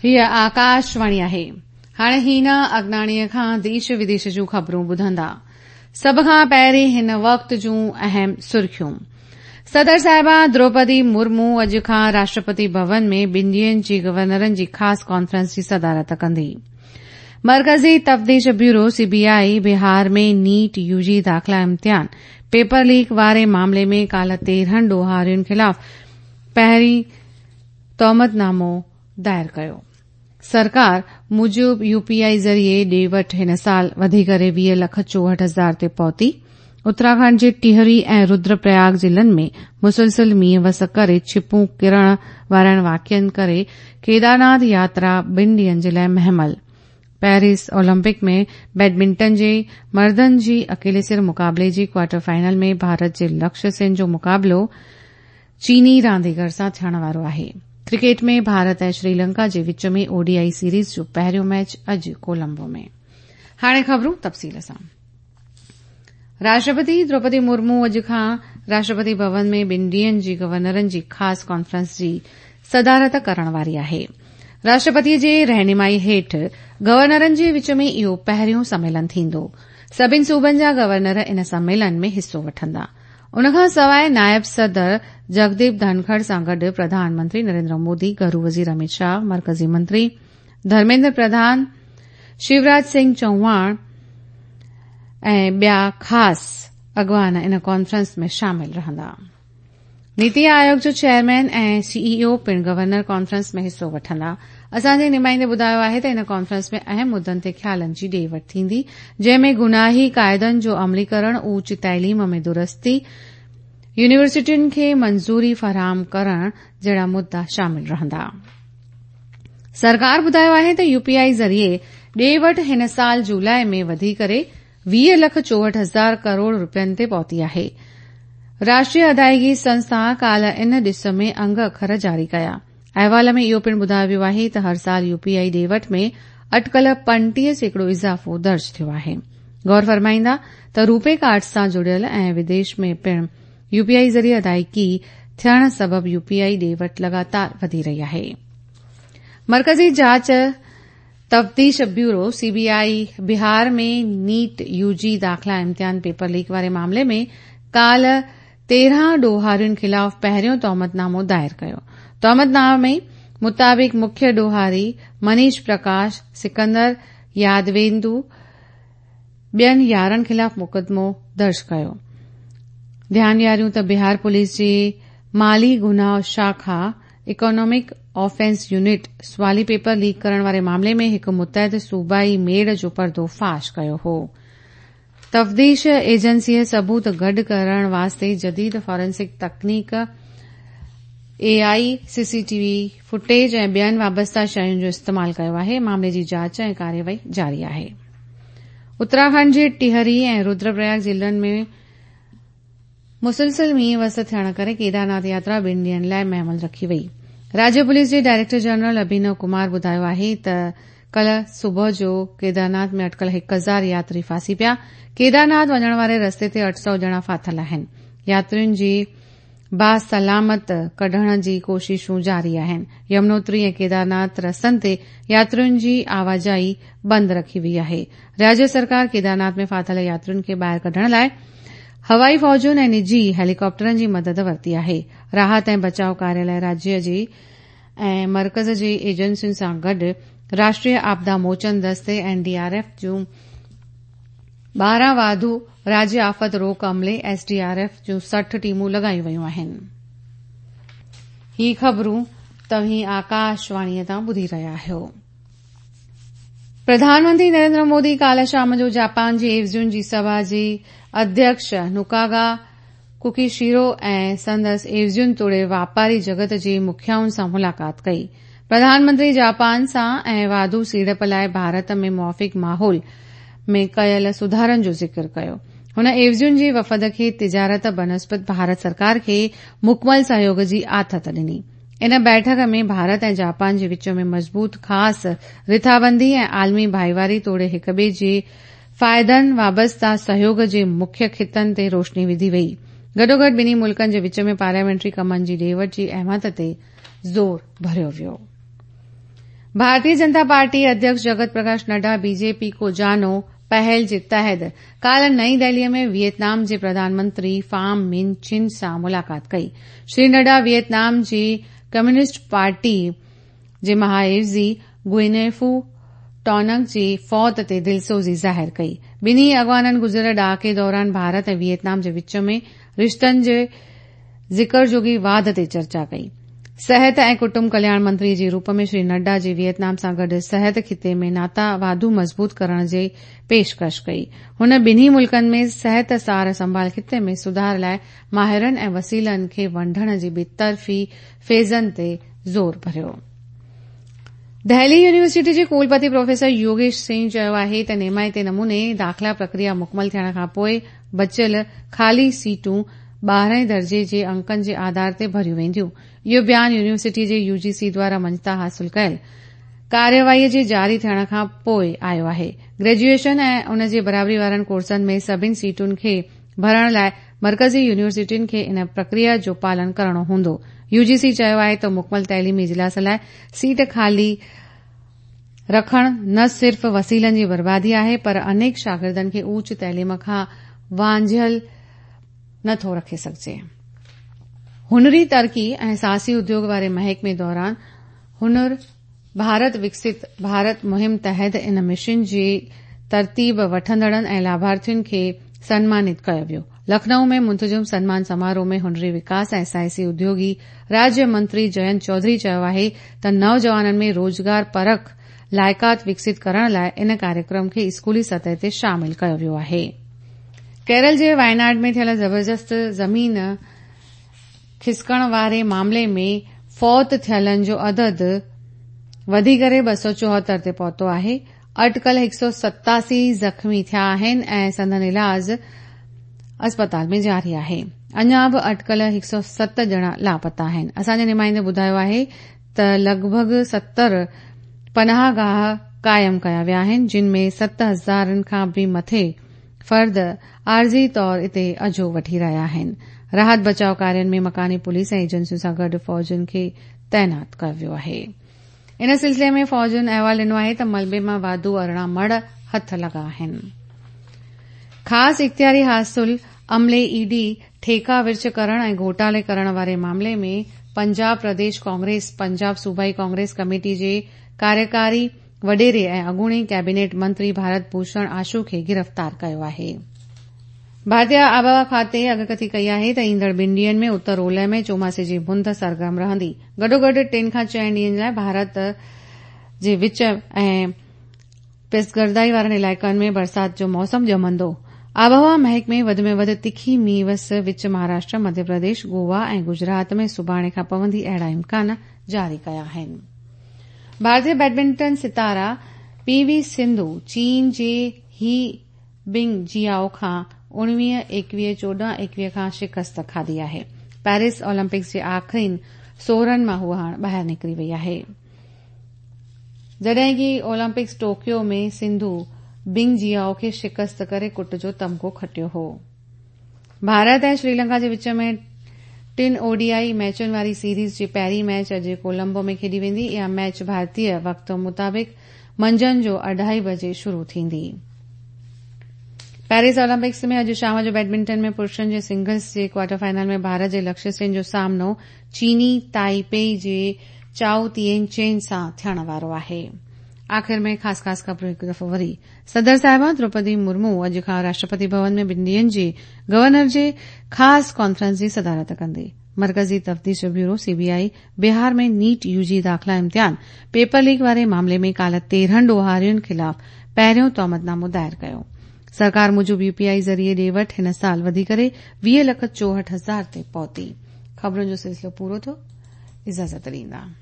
هيء آڪاشواڻي آهي. هاڻي هينا اگناڻيء کان ديش وديش جون خبرون ٻڌندا. سڀ کان پهرين هن وقت جون اهم سرخيون. صدر صاحبه دروپدي مرمو اڄ کان راشٽرپتي ڀون ۾ ٻن ڏينهن جي گورنرن جي خاص ڪانفرنس جي صدارت ڪندي. مرڪزي تفتيش bureau, C B I, Bihar ۾ NEET U جي داخلا امتحان پيپر ليڪ واري معاملي ۾ ڪالهه 13 ڏوهارين خلاف پهرين تهمت نامو دائر ڪيو. سرڪار موجب يو پي آء ذريعي ڏي وٺ هن سال وڌي ڪري 20 لک 64 هزار تي پهتي. اتراکنڊ جي ٽهري ۽ ردر پرياگ ضلعن ۾ مسلسل مينهن وس ڪري ڇپون ڪرڻ وارن واقعن ڪري ڪيدارناٿ ياترا ٻن ڏينهن جي لاء مهمل. پيرس اولمپڪ ۾ بيڊمنٽن جي مردن جي اڪيلي سر مقابلي جي ڪوارٽر فائنل ۾ ڀارت جي لڪشيه سين جو مقابلو چيني رانديگر سان ٿيڻ وارو آهي. ڪرڪيٽ ۾ ڀارت ۽ شريلنڪا جي وچ ۾ او ڊي I series جو پهريون ميچ اڄ ڪولمبو ۾. هاڻي خبرون تفصيل سان. راشٽرپتي دروپدي مرمو اڄ کان راشٽرپتي ڀون ۾ ٻن ڏينهن جي گورنرن جي خاص ڪانفرنس جي صدارت ڪرڻ واري آهي. راشٽرپتي جي رهنمائي هيٺ گورنرن جي وچ ۾ اهو پهريون سميلن ٿيندو. سڀني صوبن جا گورنر ان سميلن ۾ حصو وٺندا. ان کان سواء نائب صدر جگديپ ڌنکڙ سان گڏ پرڌان منتري نريندر مودي، گهرو وزير امت شاهه، مرڪزي منتري ڌرميندر پرڌان، شيوراج سنگهه چوهاڻ ۽ ٻيا خاص اڳواڻ ان ڪانفرنس ۾ شامل رهندا. نيتي آيوگ جو چيئرمين ۽ سي اي او پڻ گورنر ڪانفرنس ۾ حصو وٺندا. اسان جي نمائندي ٻڌايو آهي ته ان ڪانفرنس ۾ اهم مدن تي خيالن جي ڏي وٺ ٿيندي، جنهن ۾ گناهي قاعدن جو عملي ڪرڻ، اوچ تعليم ۾ درستي، يونيورسٽين کي منظوري فراهم ڪرڻ جهڙا مدا شامل رهندا. سرڪار ٻڌايو آهي ته يو پي آء ذريعي ڏي وٺ هن سال جولاء ۾ وڌي ڪري 20 لک 64 هزار ڪروڙ رپين تي پهتي آهي. راشٽريه ادائيگي سنسٿا ڪالهه ان ڏس ۾ انگ اکر جاري ڪيا. احوال ۾ اهو پڻ ٻڌايو ويو آهي ته هر سال يو پي آء ڏي وٺ ۾ اٽڪل 35% اضافو درج ٿيو آهي. غور فرمائيندا ته روپي ڪارڊ سان جڙيل ۽ وديش ۾ پڻ يو پي آء ذريعي ادائيگي ٿيڻ سبب يو پي آء ڏي وٺ لڳاتار وڌي رهي آهي. مرڪزي جاچ تفتيش bureau, C B I, Bihar ۾ NEET U جي داخلا امتحان پيپر ليڪ واري معاملي ۾ ڪالهه 13 ڏوهارين خلاف پهريون تهمت نامو دائر ڪيو. تهمت نامي مطابق مکيه ڏوهاري منيش پرڪاش، سڪندر يادويندو ٻين 11 خلاف مقدمو درج ڪيو. ڌيان ڏياريون ته بهار پوليس جي مالي گناهه شاخا، اڪانامڪ آفينس يونٽ، سوالي پيپر ليڪ ڪرڻ واري معاملي ۾ هڪ متحد صوبائي ميڙ جو پردو فاش ڪيو هو. تفتيش ايجنسيء ثبوت گڏ ڪرڻ واسطي جديد forensic تڪنيڪ، A I, C C T V footage ۽ ٻين وابسته شين جو استعمال ڪيو آهي. معاملي جي جاچ ۽ ڪارروائي جاري آهي. اتراکنڊ جي ٽهري ۽ ردر پرياگ ضلعن ۾ مسلسل مينهن وس ٿيڻ ڪري ڪيدارناٿ ياترا ٻن ڏينهن لاء مهمل رکي وئي. راجيه پوليس جي ڊائريڪٽر جنرل اڀينو ڪمار ٻڌايو آهي ته ڪلهه صبح جو ڪيدارناٿ ۾ اٽڪل 1000 ياتري ڦاسي پيا. ڪيدارناٿ وڃڻ واري رستي تي 800 ڄڻا ڦاٿل آهن. ياترين جي باسلامت ڪڍڻ جي ڪوششون جاري آهن. يمنوتري ۽ ڪيدارناٿ رستن تي ياترين جي آواجاهي بند رکي وئي آهي. راجيه سرڪار ڪيدارناٿ ۾ ڦاٿل ياترين کي ٻاهر ڪڍڻ لاء هوائي فوجن ۽ نجي هيليڪاپٽرن جي مدد ورتي آهي. راحت ۽ بچاء ڪاريه لاء راجيه جي ۽ مرڪز جي ايجنسين سان گڏ راشٽريه آپدا موچن دستي، اين ڊي آر ايف، جون 12 واڌو راجيه آفت روڪ عملي، ايس ڊي آر ايف، جون 60 ٽيمون لڳايون ويون آهن. هي خبرون توهين آڪاشواڻيء تان ٻڌي رهيا آهيو. پرڌان منتري نريندر مودي ڪالهه شام جو جاپان جي عيوضين جي سڀا جي اڌيڪش نوڪاگا ڪوڪيشيرو ۽ سندس عيوضين توڙي واپاري جڳت جي مکيائن سان ملاقات ڪئي. پرڌان منتري جاپان سان ۽ واڌو سيڙپ لاء ڀارت ۾ موافق ماحول ۾ ڪيل سڌارن جو ذڪر ڪيو. هن عيوضين جي وفد کي تجارت بنسبت ڀارت سرڪار کي مڪمل سهيوگ جي آٿت ڏني. ان بيٺڪ ۾ ڀارت ۽ جاپان جي وچ ۾ مضبوط خاص رٿابندي ۽ عالمي ڀائيواري توڙي هڪٻئي جي فائدن وابسته سهيوگ جي مکيه خطن تي روشني وڌي وئي. گڏوگڏ ٻنهي ملڪن جي وچ ۾ پارليامينٽري ڪمن جي ڏي وٺ جي اهميت تي زور ڀريو ويو. ڀارتيه جنتا پارٽي اڌيڪش جگت پرڪاش نڊا بيجيپي ڪو جانو پهل جي تحت ڪالهه نئين دهلي ۾ ويٽنام جي پرڌان منتري فام من چن سان ملاقات ڪئي. شري نڊا ويٽنام جي ڪميونسٽ پارٽي جي مهاعيوضي گوئنيفو ٽونگ جي فوت تي دلسوزي ظاهر ڪئي. ٻنهي اڳواڻن گذريل ڏهاڪي دوران ڀارت ۽ ويٽنام جي وچ ۾ رشتن جي ذڪر جوڳي واڌ تي چرچا ڪئي. صحت ۽ ڪٽنب ڪلياڻ منتري جي روپ ۾ شري نڊا جي ويٽنام سان گڏ صحت خطي ۾ ناتا واڌو مضبوط ڪرڻ جي پيشڪش ڪئي. هن ٻنهي ملڪن ۾ صحت سار سنڀال خطي ۾ سڌار لاء ماهرن ۽ وسيلن کي ونڊڻ جي ٻطرفي فيضن تي زور ڀريو. دهلي يونيورسٽي جي ڪولپتي پروفيسر يوگيش سنگهه چيو آهي ته نيمائتي نموني داخلا پرڪريا مڪمل ٿيڻ کانپوء بچيل خالي سيٽون ٻارهين درجي جي انڪن جي آڌار تي ڀريون وينديون. اهو بيان يونيورسٽي جي يو جي سي دواران مڃتا حاصل ڪيل ڪارروائي جي جاري ٿيڻ کان پوء آيو آهي. گريجوئيشن ۽ ان جي برابري وارن ڪورسن ۾ سڀني سيٽن کي ڀرڻ لاء مرڪزي يونيورسٽين کي ان پرڪريا جو پالن ڪرڻو هوندو. يو جي سي چيو آهي ته مڪمل تعليمي اجلاس لاء سيٽ خالي رکڻ نه صرف وسيلن جي بربادي آهي پر انيڪ شاگردن کي اوچ تعليم کان وانجهيل نه ٿو رکي سگهجي. هنري ترقي ۽ ساهسي اديوگ واري محڪمي دوران هنر ڀارت وڪست ڀارت مهم تحت ان مشن جي ترتيب وٺندڙن ۽ لاڀارٿين کي سنمانت ڪيو ويو. لکنئو ۾ منتظم سنمان سماروهه ۾ هنري وڪاس ۽ ساهسي اديوگي راجيه منتري جينت چوڌري چيو آهي ته نوجوانن ۾ روزگار پرک لائقات وڪست ڪرڻ لاء ان ڪاريڪرم کي اسڪولي سطح تي شامل ڪيو ويو آهي. ڪيرل جي وايناڊ ۾ ٿيل زبردست زمين کسڪڻ واري معاملي ۾ فوت ٿيلن جو عدد وڌي ڪري 274 تي پهتو آهي. اٽڪل 187 زخمي ٿيا آهن ۽ سندن علاج اسپتال ۾ جاري آهي. اڃا به اٽڪل 107 ڄڻا لاپتا آهن. اسان جي نمائندي ٻڌايو آهي ته لڳ ڀڳ 70 پناهه گاهه قائم ڪيا ويا آهن جن ۾ ست هزارن کان به مٿي فرد عارضي طور اتي اجهو وٺي رهيا آهن. راحت بچاء ڪارين ۾ مڪاني پوليس ۽ ايجنسين سان گڏ فوجين کي تعينات ڪيو ويو آهي. ان سلسلي ۾ فوجين احوال ڏنو آهي ته ملبي مان واڌو 18 مڙهه هٿ لڳا آهن. خاص اختياري حاصل عملي اي ڊي ٺيڪا ورڇ ڪرڻ ۽ گهوٽالي ڪرڻ واري معاملي ۾ پنجاب پرديش ڪانگريس پنجاب صوبائي ڪانگريس ڪميٽي جي ڪاريڪاري وڏيري ۽ اڳوڻي ڪيبينيٽ منتري ڀارت ڀوشڻ آشو کي گرفتار ڪيو آهي. ڀارتي آبهوا کاتي اڳڪٿي ڪئي آهي ته ايندڙ ٻن ڏينهن ۾ اتر اولهه ۾ چوماسي جي مند سرگرم رهندي. گڏوگڏ ٽن کان چئن ڏينهن لاء ڀارت جي وچ ۽ پسگردائي وارن علائقن ۾ برسات جو موسم ڄمندو. آبهوا محڪمي وڌ ۾ وڌ تکي مينهن وس وچ مهاراشٽر، مڌيه پرديش، گوا ۽ گجرات ۾ سڀاڻي کان پوندي اهڙا امڪان جاري ڪيا آهن. ڀارتي بيڊمنٽن ستاره پي وي سنڌو چين جي هي بنگ جيائو کان 19 21 14 21 کان شڪست کاڌي آهي. پيرس اولمپڪس جي آخرين 16 مان هوء هاڻ ٻاهر نڪري وئي آهي. جڏهن ڪي اولمپڪس ٽوڪيو ۾ سنڌو بنگ جيائو کي شڪست ڪري ڪٽ جو تمغو کٽيو هو. ڀارت ۽ شريلنڪا جي وچ ۾ ٽن او ڊي I ميچن واري سيريز جي پهرين ميچ اڄ ڪولمبو ۾ کيڏي ويندي. اها ميچ ڀارتي وقت مطابق منجهند جو اڍائي بجي شروع ٿيندي. پيرس اولمپڪس ۾ اڄ شام جو بيڊمنٽن ۾ پرشن جي سنگلز جي ڪوارٽر فائنل ۾ ڀارت جي لڪشيه سين جو سامنو چيني تائي پي جي چائو تين چين سان ٿيڻ وارو آهي. آخر ۾ خاص خاص خبرون هڪ دفعو وري. صدر صاحبه دروپدي مرمو اڄ کان راشٽرپتي ڀون ۾ ٻن ڏينهن جي گورنر جي خاص ڪانفرنس جي صدارت ڪندي. مرڪزي تفتيش bureau, C B I, Bihar ۾ NEET U جي داخلا امتحان پيپر ليڪ واري معاملي ۾ ڪالهه 13 ڏوهارين خلاف پهريون تهمت نامو دائر ڪيو. سرڪار موجب يو پي آء ذريعي ڏي وٺ هن سال وڌي ڪري 20 لک 64 هزار تي پهتي. خبرن جو سلسلو پورو ٿيو. اجازت ڏيندا.